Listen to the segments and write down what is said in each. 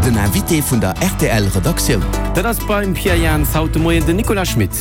Den Invité vun der rtl Redaktioun. Dat ass beim Pierre Jans haut de Moien den Nicolas Schmit.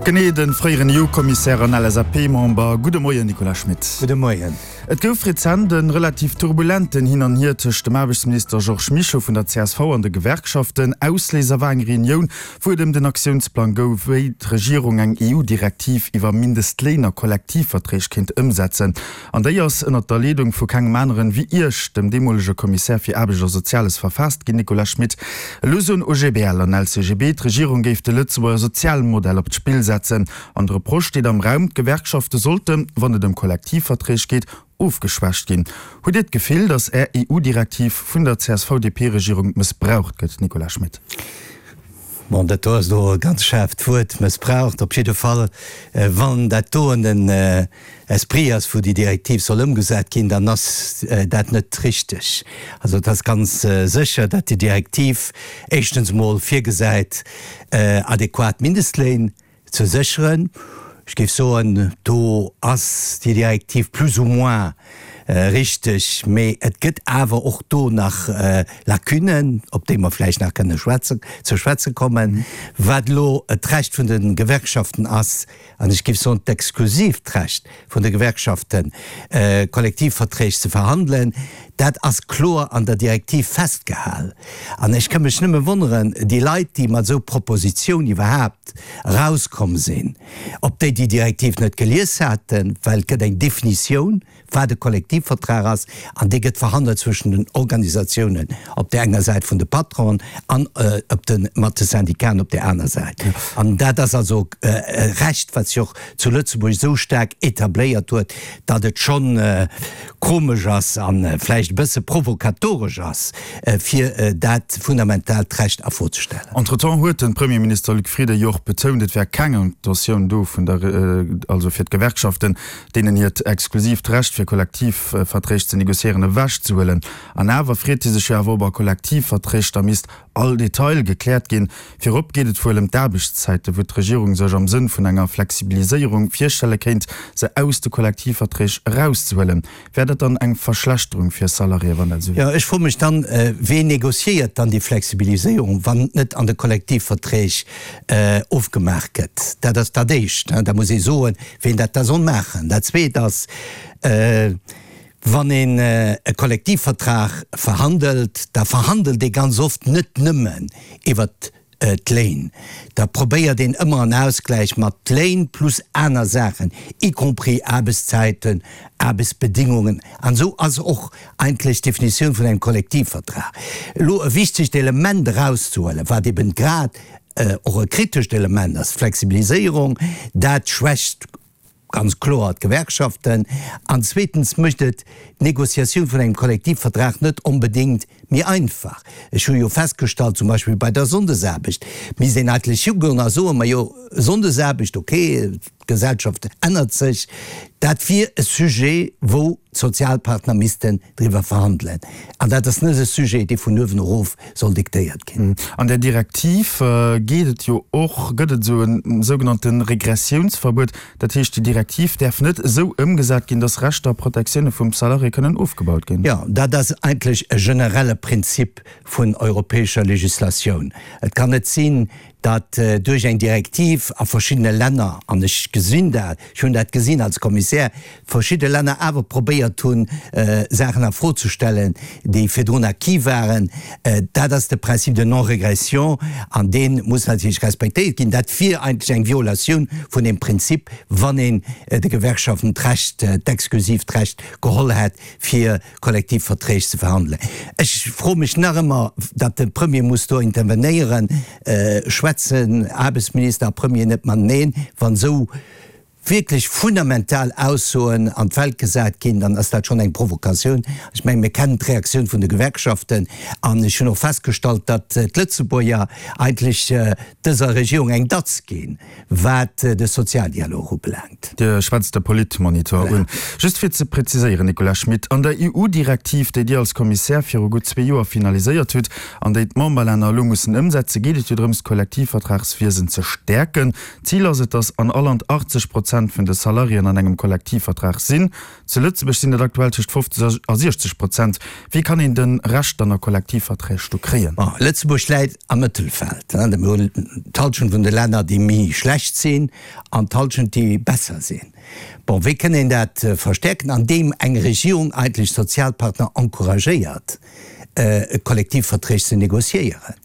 Genee, de fréieren EU-Kommissär an LSAP-Member. Gudde Moien, Nicolas Schmit. Gudde Moien. Et gouf rezent e relativ turbulenten Hin an Hier tëscht dem Aarbechtsminister Georges Mischo vun der csv an de Gewerkschaften. Ausléiser war eng Reunioun, wou et ëm den Aktiounsplang gouf, wéi d'Regierung eng EU-Direktiv iwwer Mindestléin a Kollektivverträg kéint ëmsetzen. An déi ass ënnert der Leedung vu kengem aneren wéi Iech, dem deemolege Kommissär fir Aarbecht a Soziales, verfaasst ginn. Nicolas Schmit, Elo soen OGBL an LCGB, d'Regierung géif de Lëtzebuerger Sozialmodell op d'Spill setzen. An de Reproche steet am Raum, d'Gewerkschafte sollten, wann et ëm Kollektivverträg geet, ofgeschwächt ginn. Hutt Dir d'Gefill, datt Är EU-Direktiv vun der CSV-DP-Regierung mëssbraucht gëtt, Nicolas Schmit? Bon, dat do ass elo e ganz schaarft Wuert, mëssbraucht. Op jidde Fall, wann dat doen den Esprit ass, wou déi Direktiv soll ëmgesat ginn, dann ass dat net richteg. Also et ass ganz sécher, datt déi Direktiv éischtens emol virgesäit, adequat Mindestléin ze sécheren. Ech géif soen, do ass déi Direktiv plus ou moins richteg, mee et gëtt awer och do nach Lacunen, op déi mer vläicht nach kënne schwätzen, ze schwätze kommen. Wat elo d'Recht vun de Gewerkschaften ass, an ech géif soen d'exklusiivt Recht vun de Gewerkschaften, Kollektivverträg ze verhandelen, dat ass kloer an der Direktiv festgehal. An ech ka mech nëmme wonneren, déi Leit, déi mat esou Propositioun iwwerhaapt erauskomm sinn, ob déi déi Direktiv net gelies haten, well et gëtt eng Definitioun, wat e Kollektivvertrag ass, an dee gëtt verhandelt zwëschen den Organisatiounen op där enger Säit vun de Patronen an op de mat de Syndicaten op där aner Säit. An dat ass also e Recht, wat sech och zu Lëtzebuerg esou staark etabléiert huet, datt et schonn komesch ass a vläicht e bësse provokatoresch ass, fir dat fundamentaalt Recht a Fro ze stellen. Entretemps huet de Premierminister Luc Frieden jo och betount, et wär keng Intentioun do vun der, also fir d'Gewerkschaften, deenen hiert exklusiivt Recht fir Kollektivverträg ze negociéieren, ewechzehuelen. An awer freet hie sech jo awer, ob a Kollektivverträg da misst all Detail gekläert ginn. Virop geet et wuel ëm d'Aarbechtszäiten, wou d'Regierung sech am Sënn vun enger Flexibiliséierung virstelle kéint, se aus de Kollektivverträg erauszehuelen. Wär dat dann eng Verschlechterung fir Salariéë, wann dat esou wier? Jo, ech froe mech dann, Ween negociéiert dann déi Flexibiliséierung, wann et net an de Kollektivverträg ofgemaach gëtt? Dat ass dat Éischt. Da muss ee soen, ween dat da soll maachen. Dat Zweet ass, Wann een e Kollektivvertrag verhandelt, da verhandelt ee ganz oft net nëmmen iwwert d'Léin. Da probéiert een ëmmer en Ausgläich mat Léin plus aner Saachen, y compris Aarbechtszäiten, Aarbechtsbedingungen. An esou ass och eigentlech d'Definitioun vun engem Kollektivvertrag. Elo e wichtegt Element erauszehuelen, wat eben grad och e kritescht Element ass, d'Flexibiliséierung, dat schwächt ganz kloer d'Gewerkschaften, an zweetens mécht et d'Négociatioun vun engem Kollektivvertrag net onbedéngt méi einfach. Ech hu jo festgestallt, zum Beispill bei der Sonndesaarbecht misst een eigentlech higoen a soen, Majo, Sonndesaarbecht, okay, d'Gesellschaft ännert sech, dat wier e Sujet, wou d'Sozialpartner missten driwwer verhandelen. An dat ass net e Sujet, dee vun uewen erof soll diktéiert ginn. An där Direktiv geet et jo och, gëtt et esou e sougenannte Regressiounsverbuet. Dat heescht, déi Direktiv däerf net esou ëmgesat ginn, datt Rechter a Protektioune vum Salarié kënnen ofgebaut ginn. Jo, dat ass eigentlech e generelle Prinzip vun europäescher Legislatioun. Et kann net sinn, datt duerch eng Direktiv a verschiddene Länner, an ech gesinn dat, ech hunn dat gesinn als Kommissär, verschidde Länner awer probéiert hunn, Saachen a Fro ze stellen, déi virdrun acquis waren. Dat ass de Principe de non-régression an dee muss natierlech respektéiert ginn. Dat wier eigentlech eng Violatioun vun deem Prinzip, wann een de Gewerkschaften d'Recht, d'exklusiivt Recht geholl hätt, fir Kollektivverträg ze verhandelen. Ech froe mech nach ëmmer, datt de Premier muss do intervenéieren, schwätzen Aarbechtsminister a Premier net mateneen, wann esou wierklech fundamental Aussoen an d'Welt gesat ginn, dann ass dat schonn eng Provokatioun. Ech mengen, mir kennen d'Reaktioun vun de Gewerkschaften an ech hunn och festgestallt, datt d'Lëtzebuerger eigentlech dëser Regierung eng Datz ginn, wat de Sozialdialog ubelaangt. Dir schwätzt de Politmonitor un. Just fir ze präziséieren, Nicolas Schmit, An der EU-Direktiv, déi Dir als Kommissär viru gutt zwee Joer finaliséiert hutt an déi d'Memberlänner elo mussen ëmsetzen, geet et jo drëms, d'Kollektivvertragswiesen ze stäerken. Zil ass et, datt an all Land 80 Prozent. Prozent vun de Salariéen an engem Kollektivvertrag sinn. Zu Lëtzebuerg sinn dat aktuell tëscht 50 a 60 Prozent. Wéi kann een de Rescht dann a Kollektivverträg do kréien? Bon, Lëtzebuerg läit am Mëttelfeld. Mir hunn d'Halschent vun de Länner, déi méi schlecht sinn, an d'Halschent, déi besser sinn. Bon, wéi kënn een dat verstärken? Andeem eng Regierung eigentlech d'Sozialpartner encouragéiert, Kollektivverträg ze négociéieren.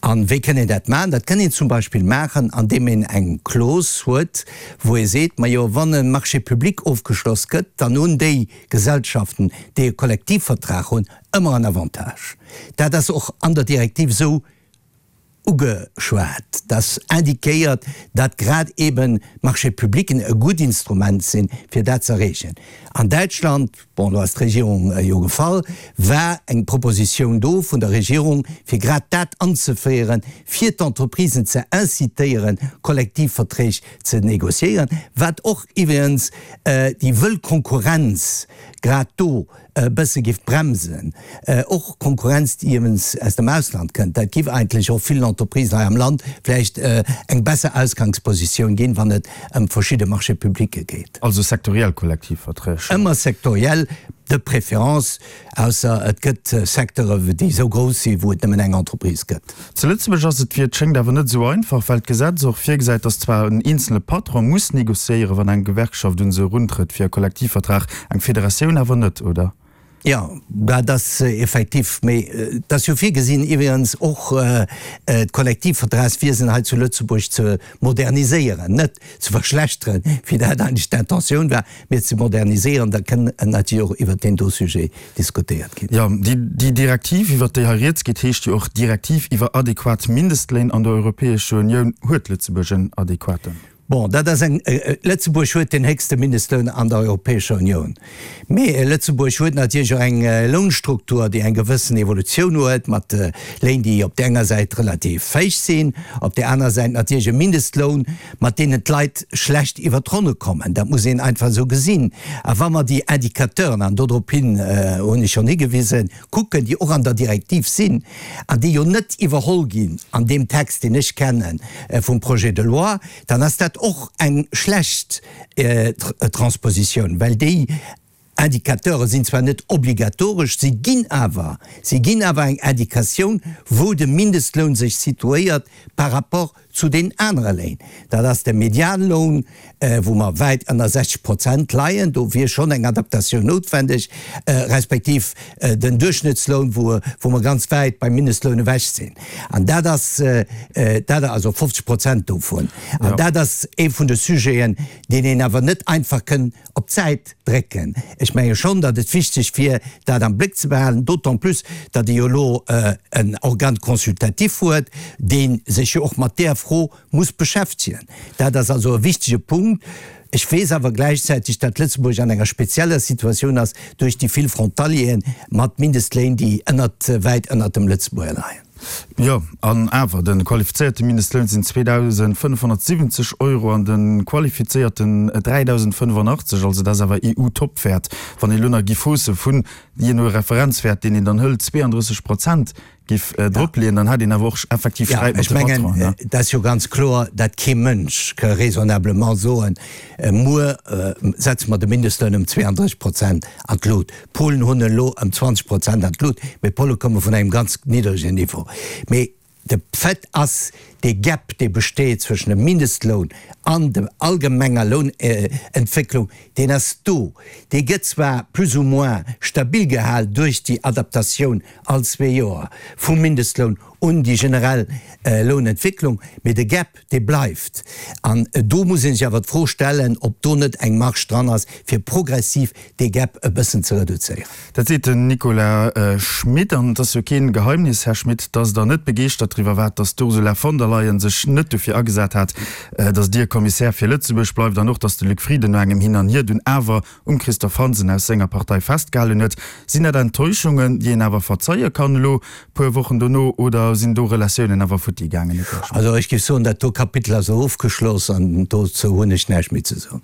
A wéi kënn een dat maachen? Dat kënn een zum Beispill maachen, andeem een eng Clause huet, wou ee seet, Majo, wann e Marché public ofgeschloss gëtt, dann hunn déi Gesellschaften, déi e Kollektivvertrag hunn, ëmmer en Avantage. Dat ass och an der Direktiv esou ugeschwat, dass indiquéiert, datt grad eben d'Marchés publics e gutt Instrument sinn, fir dat ze erreechen. An Däitschland, bon, do ass d'Regierung jo gefall, war eng Propositioun do vun der Regierung, fir grad dat anzeféieren, fir d'Entreprisen ze incitéieren, Kollektivverträg ze négociéieren, wat och iwwregens déi wëll Konkurrenz grad do e bësse giff bremsen, och Konkurrenz déi iwwens aus dem Ausland kënnt. Dat giff eigentlech och villen Entreprisen hei am Land vläicht eng besser Ausgangspositioun ginn, wann et ëm verschidde Marchés publics geet. Also sektoriell Kollektivverträg? Ëmmer sektoriell, de préférence, ausser et gëtt Secteure déi esou grouss sinn, wou et nëmmen eng Entreprise gëtt. Zu Lëtzebuerg ass et, wéi et schéngt, awer net esou einfach, well d'Gesetz och virgesäit, datt zwar en eenzele Patron muss négociéieren, wann eng Gewerkschaft un se eruntrëtt fir e Kollektivvertrag, eng Federatioun awer net, oder? Jo, dat ass effektiv, mee et ass jo virgesinn iwwregens och d'Kollektivvertragswiesen hei zu Lëtzebuerg ze moderniséieren, net ze verschlechteren, wéi dat eigentlech d'Intentioun war, mee ze moderniséieren. Da kënn natierlech och iwwert deen do Sujet diskutéiert ginn. Jo, déi Direktiv, iwwert déi hei rieds geet, heescht jo och Direktiv iwwer adequat Mindestléin an der Europäescher Unioun. Huet Lëtzebuerg en adequaten? Bon, dat ass eng, Lëtzebuerg huet deen héchste Mindestloun an der Europäescher Unioun. Mee Lëtzebuerg huet natierlech och eng Lounstruktur, déi eng gewëssen Evolutioun huet, mat Léin, déi op där enger Säit relativ héich sinn, op där aner Säit natierlech e Mindestloun, mat deenen d'Leit schlecht iwwer d'Ronne kommen. Dat muss een einfach esou gesinn. A wa mer déi Indicateuren, an dodrop hin hunn ech schonn higewisen, kucken, déi och an der Direktiv sinn an déi jo net iwwerholl ginn an deem Text, deen ech kenne vum Projet de loi, dann ass dat och eng schlecht Transpositioun, well déi Indicateure sinn zwar net obligatoresch, si ginn awer, si ginn awer eng Indikatioun, wou de Mindestloun sech situéiert par rapport zu den anere Léin. Dat ass de Medianloun, wou mer wäit ënner 60 Prozent leien, do wier schonn eng Adaptatioun noutwendeg, respektiv den Duerchschnëttsloun, wou, wou mer ganz wäit beim Mindestloun ewech sinn. An dat ass, dat, also 50 Prozent dovun. An dat ass ee vun de Sujeten, deen een awer net einfach kënn op d'Säit drécken. Ech menge schonn, datt et wichteg wier, dat am Bléck ze behalen, d'autant plus, datt ee jo elo en Organe consultatif huet, dee sech jo och mat där Fro muss beschäftegen. Dat ass also e wichtege Punkt. Ech weess awer gläichzäiteg, datt Lëtzebuerg an enger spezieller Situatioun ass duerch déi vill Frontalieren mat Mindestléin, déi ënnert, wäit ënnert dem Lëtzebuerger leien. Jo, an awer, de qualifizéierte Mindestloun sinn 2.570 Euro an de qualifizéierten 3.085, also dat ass awer EU-Topwäert. Wann ee lo nach giff hausse vun, jee no Referenzwäert, deen een dann hëlt, 32 Prozent giff dropleeën, dann hätt een awer och effektiv Sträit mat de Patronen. Jo, ech mengen, et ass jo ganz kloer, dat kee Mënsch ka raisonnablement soen, muer setze mer de Mindestloun ëm 32 Prozent an d'Lut. D'Polen hunn elo ëm 20 Prozent an d'Lut, mee d'Pole komme vun engem ganz niddregen Niveau. Mee de Fait ass, dee Gap, dee besteet zwëschen dem Mindestloun an der allgemenger Lounentwécklung, deen ass do. Dee gëtt zwar plus ou moins stabil gehal duerch déi Adaptatioun all zwee Joer vum Mindestloun un déi generell Lounentwécklung, mee de Gap, dee bleift. An do muss ee sech awer d'Fro stellen, ob do net eng Marge dran ass, fir progressiv dee Gap e bëssen ze reduzéieren. Dat seet den Nicolas Schmit. An et ass jo keen Geheimnis, Här Schmit, datt Der net begeeschtert driwwer waart, datt d'Ursula von der Leyen sech net dofir agesat hat, datt Dir Kommissär fir Lëtzebuerg bleift an och, datt de Luc Frieden no engem Hin an Hier dunn awer um Christophe Hansen aus senger Partei festgehalen huet. Sinn dat Enttäuschungen, déi een awer verzeie kann elo puer Wochen dono, oder sinn do Relatiounen awer futti gaangen, Nicolas Schmit? Also ech géif soen, dat do Kapitel ass elo ofgeschloss an dozou hunn ech näischt méi ze soen.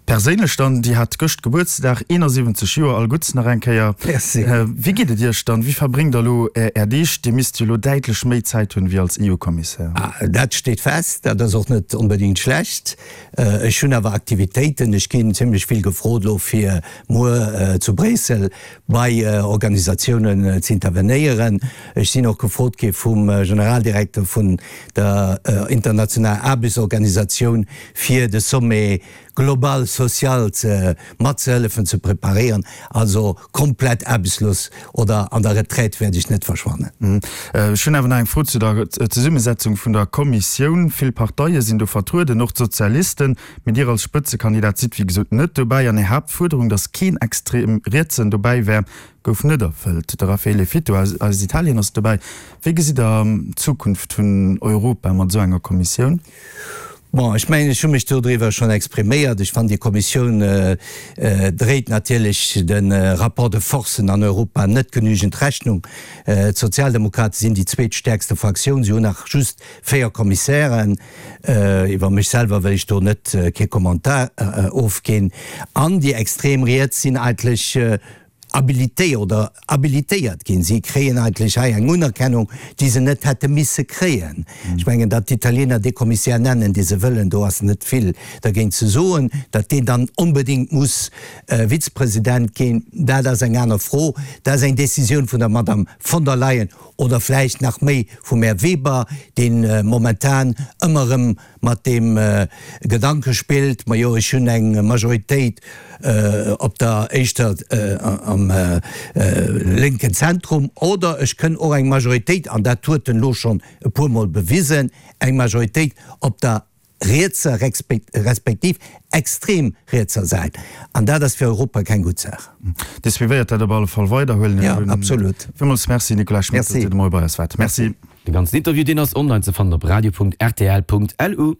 Perséinlech dann, Dir hat gëscht Gebuertsdag, 71 Joer, all Gutts nach eng Kéier. Merci. Wéi geet et Iech dann? Wéi verbréngt Der elo Är Deeg? Dir misst jo elo däitlech méi Zäit hunn. hunn, wéi als EU-Kommissär. Dat steet fest. Dat ass och net onbedéngt schlecht. Ech hunn awer Aktivitéiten. Ech ginn zimlech vill gefrot elo fir muer zu Bréissel bei Organisatiounen ze intervenéieren. Ech sinn och gefrot gi vum Generaldirekter vun der internationaler Aarbechtsorganisatioun fir de Sommet global social ze matzehëllefen ze preparéieren. Also komplett aarbechtslos oder an der Retraite wäert ech net verschwannen. Ech hunn awer nach eng Fro zu der Zesummesetzung vun der Kommissioun. Vill Parteie sinn do vertrueden, och d'Sozialisten. Mee Dir als Spëtzekandidat sidd wéi gesot net dobäi. An Är Haaptfuerderung, datt keen extrem Rietsen dobäi wär, gouf net erfëllt. De Raffaele Fitto aus Italien ass dobäi. Wéi gesitt Der d'Zukunft vun Europa mat esou enger Kommissioun? Bon, ech mengen, ech hu mech dodriwwer schonn expriméiert. Ech fannen, déi Kommissioun dréit natierlech de Rapport de forcen an Europa net genügend Rechnung. D'Sozialdemokrate sinn déi zweetstäerkste Fraktioun, si hunn nach just 4 Kommissären. Iwwer mech selwer wëll ech do net kee Commentaire ofginn. An déi extrem Riets sinn eigentlech habilité oder habilitéiert ginn. Si kréien eigentlech hei eng Unerkennung, déi se net hätte misse kréien. Ech mengen, datt d'Italiener dee Kommissär nennen, dee se wëllen, do ass net vill dergéint ze soen. Datt deen dann onbedéngt muss Vizepresident ginn, dat ass eng aner Fro. Dat ass eng Décisioun vun der Madame von der Leyen oder vläicht nach méi vum Här Weber, dee momentan ëmmer erëm mat deem Gedanke spillt, majo ech hunn eng Majoritéit op der éischter am lénken Zentrum, oder ech kënn och eng Majoritéit, an dat huet en elo schonn e puermol bewisen, eng Majoritéit op der rietser respektiv extrem rietser Säit. An dat ass fir Europa keng gutt Saach. Dir suivéiert dat op alle Fall weider, huelen ech un. Jo, absolut. Villmools Merci, Nicolas Schmit, datt Dir de Moie bei eis waart. Merci. De ganzen Interview deen ass online ze fannen op radio.rtl.lu.